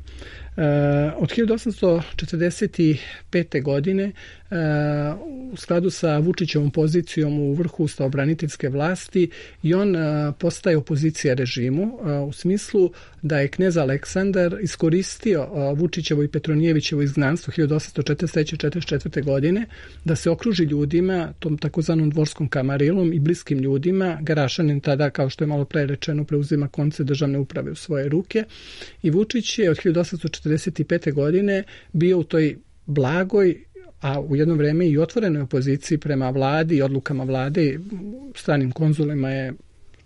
Uh, od hiljadu osamsto četrdeset pete. godine uh, u skladu sa Vučićevom pozicijom u vrhu ustaobraniteljske vlasti i on uh, postaje opozicija režimu uh, u smislu da je knez Aleksandar iskoristio uh, Vučićevo i Petronijevićevo izgnanstvo hiljadu osamsto četrdeset treće. četrdeset četvrte. godine da se okruži ljudima, tom takozvanom dvorskom kamarilom i bliskim ljudima. Garašanin tada, kao što je malo pre rečeno, preuzima konce državne uprave u svoje ruke i Vučić je od hiljadu osamsto četrdeset pete. godine bio u toj blagoj, a u jedno vreme i otvorenoj opoziciji prema vladi i odlukama vlade. Stranim konzulima je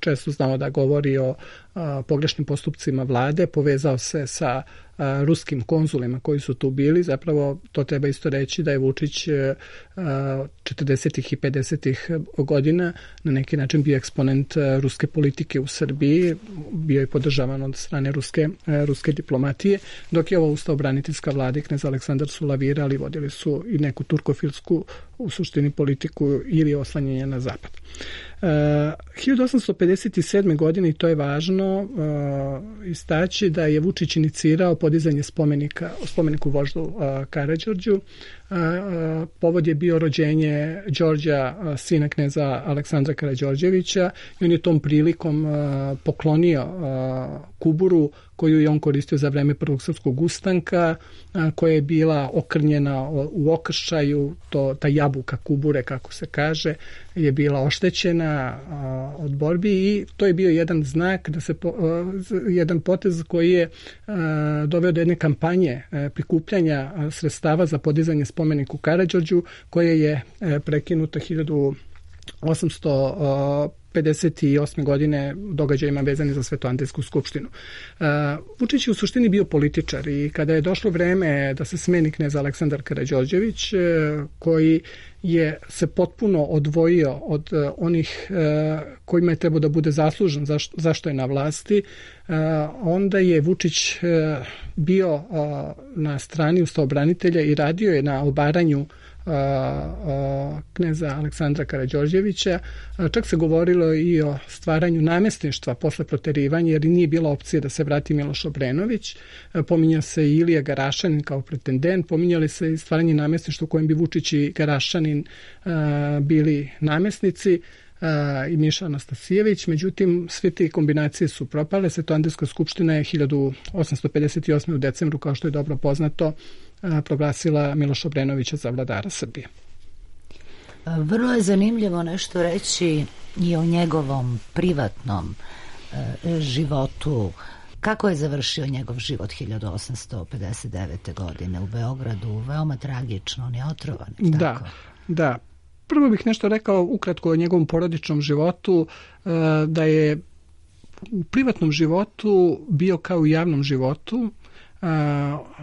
često znao da govori o a, pogrešnim postupcima vlade, povezao se sa a, ruskim konzulima koji su tu bili. Zapravo to treba isto reći da je Vučić a, četrdesetih i pedesetih godina na neki način bio eksponent a, ruske politike u Srbiji, bio je podržavan od strane ruske, a, ruske diplomatije, dok je ovo ustaobraniteljska vlada i knez Aleksandar su lavirali, vodili su i neku turkofilsku u suštini politiku ili oslanjanje na zapad. Uh, hiljadu osamsto pedeset sedme. godine, i to je važno uh, istaći, da je Vučić inicirao podizanje spomenika, spomeniku voždu uh, Karađorđu. Uh, uh, povod je bio rođenje Đorđa, uh, sina kneza Aleksandra Karađorđevića, i on je tom prilikom uh, poklonio uh, kuburu koju je on koristio za vreme Prvog srpskog ustanka, a, koja je bila okrnjena u okršaju, to, ta jabuka kubure, kako se kaže, je bila oštećena a, od borbi i to je bio jedan znak, da se po, a, jedan potez koji je a, doveo do jedne kampanje a, prikupljanja a, sredstava za podizanje spomeniku Karađorđu, koje je a, prekinuta hiljadu osamsto pedeset osme. godine događajima vezani za Svetoandejsku skupštinu. Uh, Vučić je u suštini bio političar i kada je došlo vreme da se smeni knez Aleksandar Karađorđević, uh, koji je se potpuno odvojio od uh, onih uh, kojima je trebao da bude zaslužen zašto, zašto je na vlasti, uh, onda je Vučić uh, bio uh, na strani ustaobranitelja i radio je na obaranju A, a, kneza Aleksandra Karađorđevića. A, čak se govorilo i o stvaranju namestništva posle proterivanja, jer nije bila opcija da se vrati Miloš Obrenović. A, pominja se i Ilija Garašanin kao pretendent, pominjali se i stvaranje namestništva u kojem bi Vučić i Garašanin a, bili namestnici, a, i Miša Anastasijević. Međutim, sve te kombinacije su propale. Svetoandejska skupština je hiljadu osamsto pedeset osme. u decembru, kao što je dobro poznato, proglasila Miloša Obrenovića za vladara Srbije. Vrlo je zanimljivo nešto reći i o njegovom privatnom e, životu. Kako je završio njegov život hiljadu osamsto pedeset devete. godine u Beogradu? Veoma tragično, on je otrovan. Da, tako? da. Prvo bih nešto rekao ukratko o njegovom porodičnom životu, e, da je u privatnom životu bio kao u javnom životu.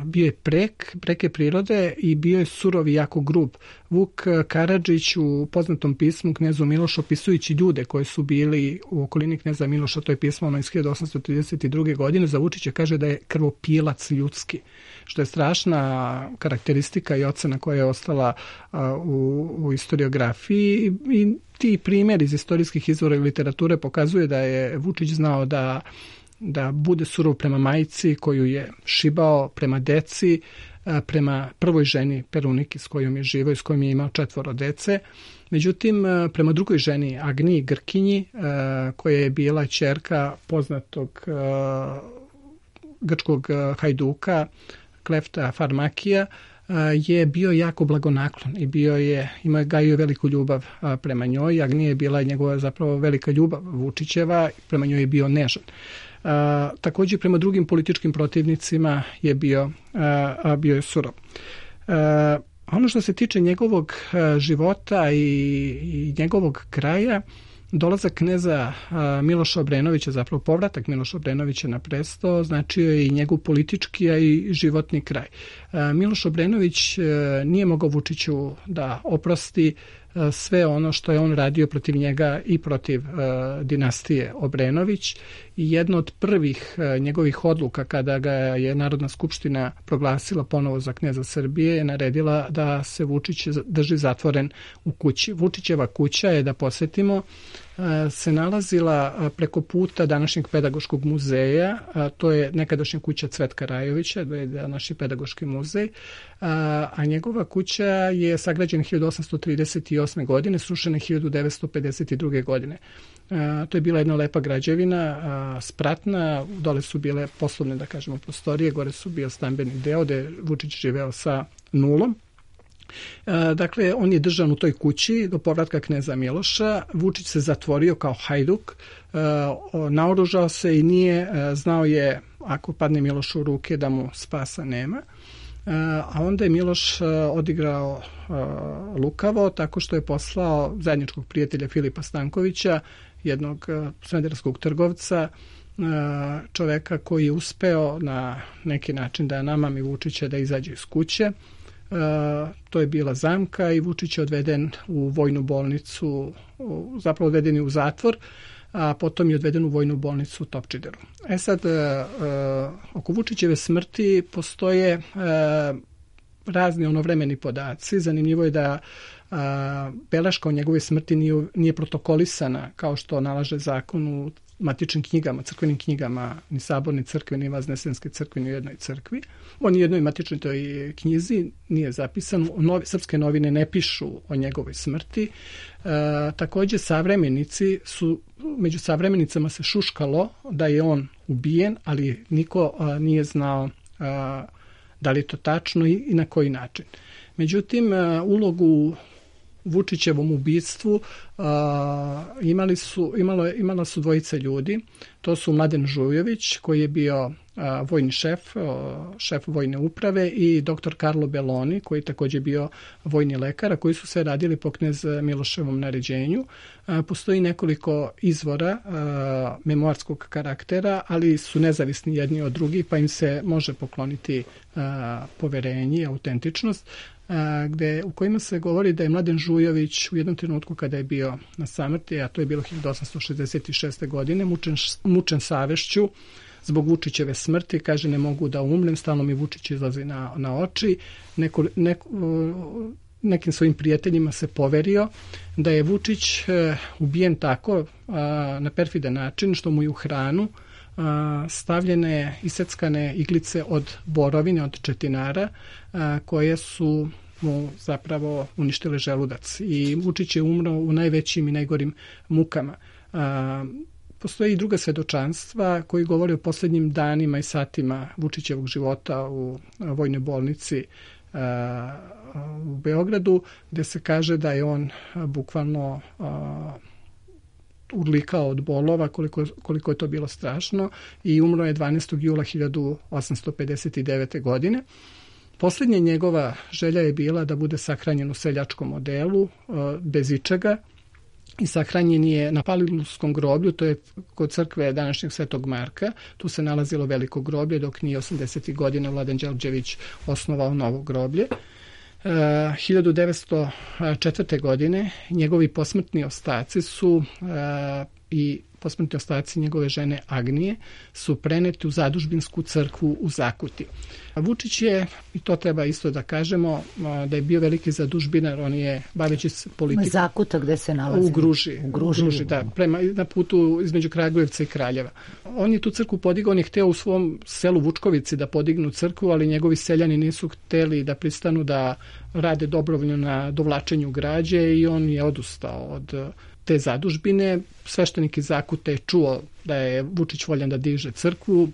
bio je prek, preke prirode i bio je surov i jako grub. Vuk Karadžić u poznatom pismu Knezu Milošu, opisujući ljude koji su bili u okolini Kneza Miloša, to je pismo ono iz hiljadu osamsto trideset druge. godine, za Vučića kaže da je krvopilac ljudski, što je strašna karakteristika i ocena koja je ostala u, u historiografiji i ti primjeri iz istorijskih izvora i literature pokazuje da je Vučić znao da da bude surov prema majci koju je šibao, prema deci, prema prvoj ženi Peruniki s kojom je živao i s kojom je imao četvoro dece. Međutim, prema drugoj ženi Agniji Grkinji, koja je bila ćerka poznatog grčkog hajduka Klefta Farmakija, je bio jako blagonaklon i bio je, imao je gajio veliku ljubav prema njoj. Agnija je bila njegova zapravo velika ljubav Vučićeva, prema njoj je bio nežan. Uh, također prema drugim političkim protivnicima je bio, uh, bio je surov. Uh, ono što se tiče njegovog uh, života i, i njegovog kraja, dolazak kneza uh, Miloša Obrenovića, zapravo povratak Miloša Obrenovića na presto, značio je i njegov politički, a i životni kraj. Uh, Miloš Obrenović uh, nije mogao Vučiću da oprosti sve ono što je on radio protiv njega i protiv uh, dinastije Obrenović i jedna od prvih uh, njegovih odluka kada ga je Narodna skupština proglasila ponovo za kneza Srbije je naredila da se Vučić drži zatvoren u kući. Vučićeva kuća je, da posjetimo, se nalazila preko puta današnjeg pedagoškog muzeja, to je nekadašnja kuća Cvetka Rajovića, to je današnji pedagoški muzej, a njegova kuća je sagrađena hiljadu osamsto trideset osme. godine, srušena hiljadu devetsto pedeset druge. godine. To je bila jedna lepa građevina, spratna, dole su bile poslovne, da kažemo, prostorije, gore su bio stambeni deo gde Vučić živeo sa nulom. Dakle, on je držan u toj kući do povratka kneza Miloša. Vučić se zatvorio kao hajduk, naoružao se i nije, znao je ako padne Miloš u ruke da mu spasa nema. A onda je Miloš odigrao lukavo tako što je poslao zajedničkog prijatelja Filipa Stankovića, jednog smederevskog trgovca, čoveka koji je uspeo na neki način da namami Vučića da izađe iz kuće. Uh, to je bila zamka i Vučić je odveden u vojnu bolnicu, u, zapravo odveden je u zatvor, a potom je odveden u vojnu bolnicu u Topčideru. E sad, uh, uh, oko Vučićeve smrti postoje uh, razni onovremeni podaci. Zanimljivo je da uh, beleška o njegove smrti nije, nije protokolisana kao što nalaže zakon u matičnim knjigama, crkvenim knjigama, ni saborni crkve, ni Vaznesenske crkve, ni u jednoj crkvi. On u jednoj matičnoj toj knjizi nije zapisan. Novi, srpske novine ne pišu o njegovoj smrti. E, također savremenici su, među savremenicama se šuškalo da je on ubijen, ali niko a, nije znao a, da li je to tačno i, i na koji način. Međutim, a, ulogu Vučićevom ubistvu uh, imali su, imalo, imala su dvojica ljudi. To su Mladen Žujović, koji je bio uh, vojni šef, uh, šef vojne uprave, i doktor Karlo Beloni, koji je također bio vojni lekar, a koji su se radili po knez Miloševom naređenju. Uh, postoji nekoliko izvora uh, memoarskog karaktera, ali su nezavisni jedni od drugih, pa im se može pokloniti uh, poverenje i autentičnost. Gde, u kojima se govori da je Mladen Žujović u jednom trenutku kada je bio na samrti, a to je bilo hiljadu osamsto šezdeset šeste. godine, mučen, mučen savešću zbog Vučićeve smrti, kaže ne mogu da umrem, stalno mi Vučić izlazi na, na oči. Neko, neko, nekim svojim prijateljima se poverio da je Vučić ubijen tako na perfidan način što mu je u hranu stavljene iseckane iglice od borovine, od četinara, koje su mu zapravo uništile želudac. I Vučić je umro u najvećim i najgorim mukama. Postoji i druga svedočanstva koji govore o posljednjim danima i satima Vučićevog života u vojnoj bolnici u Beogradu, gde se kaže da je on bukvalno urlikao od bolova, koliko, koliko je to bilo strašno, i umro je dvanaestog jula hiljadu osamsto pedeset devete. godine. Posljednja njegova želja je bila da bude sahranjen u seljačkom odelu, bez ičega, i sahranjen je na Palilulskom groblju, to je kod crkve današnjeg Svetog Marka. Tu se nalazilo veliko groblje dok nije osamdesetih godina Vladan Đorđević osnovao novo groblje. Uh, hiljadu devetsto četvrte. godine njegovi posmrtni ostaci su uh, i posmrtni ostaci njegove žene Agnije su preneti u zadužbinsku crkvu u Zakuti. Vučić je, i to treba isto da kažemo, da je bio veliki zadužbinar, on je baveći se politikom. Zakuta gde se nalazi? U Gruži. U Gruži, u Gruži da, prema, na putu između Kragujevca i Kraljeva. On je tu crkvu podigao, on je hteo u svom selu Vučkovici da podignu crkvu, ali njegovi seljani nisu hteli da pristanu da rade dobrovoljno na dovlačenju građe i on je odustao od te zadužbine. Sveštenik iz Zakute je čuo da je Vučić voljan da diže crkvu,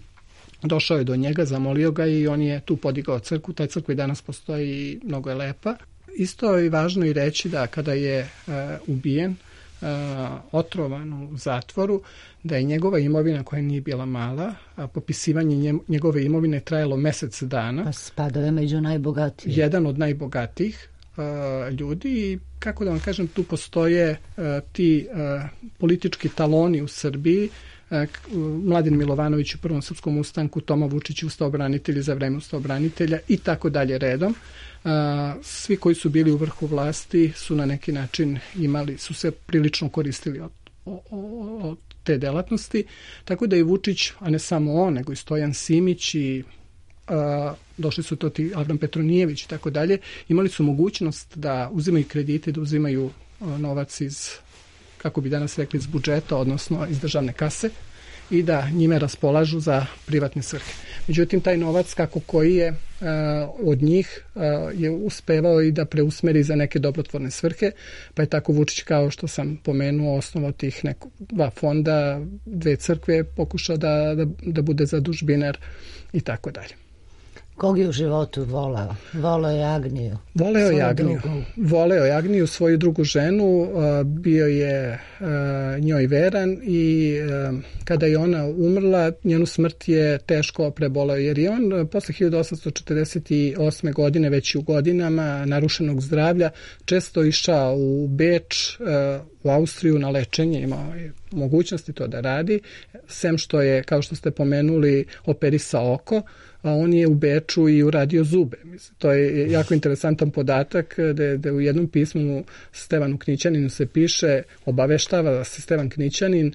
došao je do njega, zamolio ga i on je tu podigao crkvu. Taj crkva i danas postoji i mnogo je lepa. Isto je važno i reći da kada je uh, ubijen, uh, otrovan u zatvoru, da je njegova imovina, koja nije bila mala, a popisivanje njegove imovine trajalo mesec dana. Pa spadao među najbogatijih. Jedan od najbogatijih uh, ljudi i kako da vam kažem, tu postoje uh, ti uh, politički taloni u Srbiji. Mladen Milovanović u prvom srpskom ustanku, Toma Vučić ustaobranitelji za vreme ustaobranitelja i tako dalje redom. Svi koji su bili u vrhu vlasti su na neki način imali, su se prilično koristili od, od te delatnosti, tako da i Vučić, a ne samo on, nego i Stojan Simić i a, došli su to ti Avram Petronijević i tako dalje, imali su mogućnost da uzimaju kredite, da uzimaju a, novac iz, kako bi danas rekli, iz budžeta, odnosno iz državne kase i da njime raspolažu za privatne svrhe. Međutim, taj novac kako koji je uh, od njih uh, je uspevao i da preusmeri za neke dobrotvorne svrhe, pa je tako Vučić, kao što sam pomenuo, osnovao tih neko, dva fonda, dve crkve, pokušao da, da, da bude zadužbinar i tako dalje. Kog je u životu voleo? Voleo je Agniju. Voleo je Agniju. Voleo je Agniju, svoju drugu ženu, bio je njoj veran i kada je ona umrla, njenu smrt je teško preboleo, jer je on posle hiljadu osamsto četrdeset osme. godine, već u godinama narušenog zdravlja, često išao u Beč, u Austriju na lečenje, imao je mogućnosti to da radi, sem što je, kao što ste pomenuli, operisao oko, a on je u Beču i uradio zube. Mislim, to je jako interesantan podatak da, da u jednom pismu Stevanu Knićaninu se piše, obaveštava se Stevan Knićanin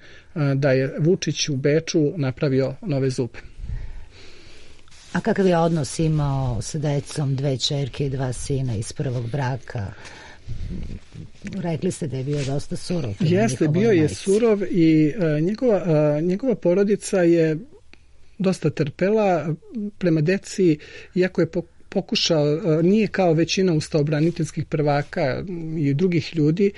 da je Vučić u Beču napravio nove zube. A kakav je odnos imao sa decom, dve ćerke i dva sina iz prvog braka? Rekli ste da je bio dosta surov. Jeste, bio je surov i uh, njegova, uh, njegova porodica je dosta trpela prema deci, iako je pokušao, nije kao većina ustaobraniteljskih prvaka i drugih ljudi,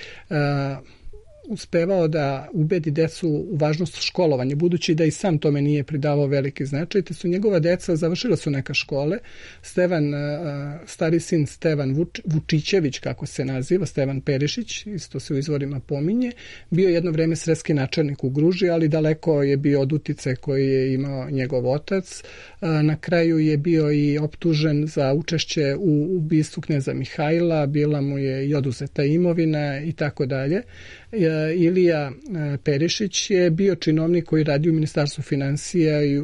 uspevao da ubedi decu u važnost školovanja, budući da i sam tome nije pridavao veliki značaj, te su njegova deca završila su neka škole. Stevan, stari sin Stevan Vuč, Vučićević, kako se naziva, Stevan Perišić, isto se u izvorima pominje, bio jedno vreme sredski načelnik u Gruži, ali daleko je bio od uticaja koji je imao njegov otac. Na kraju je bio i optužen za učešće u ubistvu kneza Mihajla, bila mu je i oduzeta imovina i tako dalje. Ilija Perišić je bio činovnik koji radi u Ministarstvu finansija i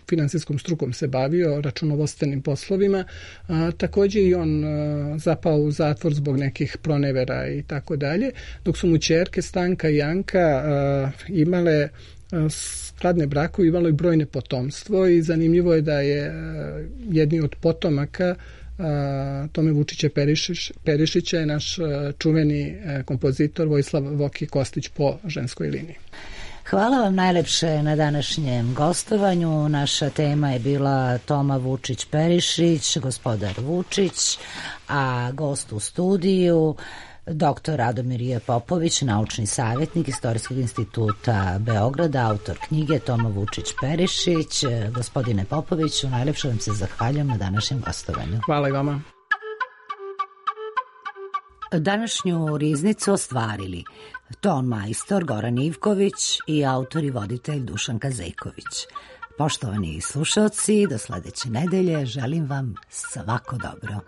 finansijskom strukom se bavio, računovodstvenim poslovima. A, također i on a, zapao u zatvor zbog nekih pronevera i tako dalje, dok su mu ćerke Stanka i Janka a, imale a, skladne brakove, imalo i brojne potomstvo i zanimljivo je da je a, jedni od potomaka Uh, Tome Vučića Perišić, Perišića je naš uh, čuveni uh, kompozitor Vojislav Voki Kostić po ženskoj liniji. Hvala vam najlepše na današnjem gostovanju. Naša tema je bila Toma Vučić Perišić, gospodar Vučić, a gost u studiju doktor Radomir J. Popović, naučni savjetnik Istorijskog instituta Beograda, autor knjige Toma Vučić Perišić. Gospodine Popoviću, najlepše vam se zahvaljujem na današnjem gostovanju. Hvala i vama. Današnju riznicu ostvarili ton majstor Goran Ivković i autor i voditelj Dušanka Zejković. Poštovani slušaoci, do sledeće nedelje želim vam svako dobro.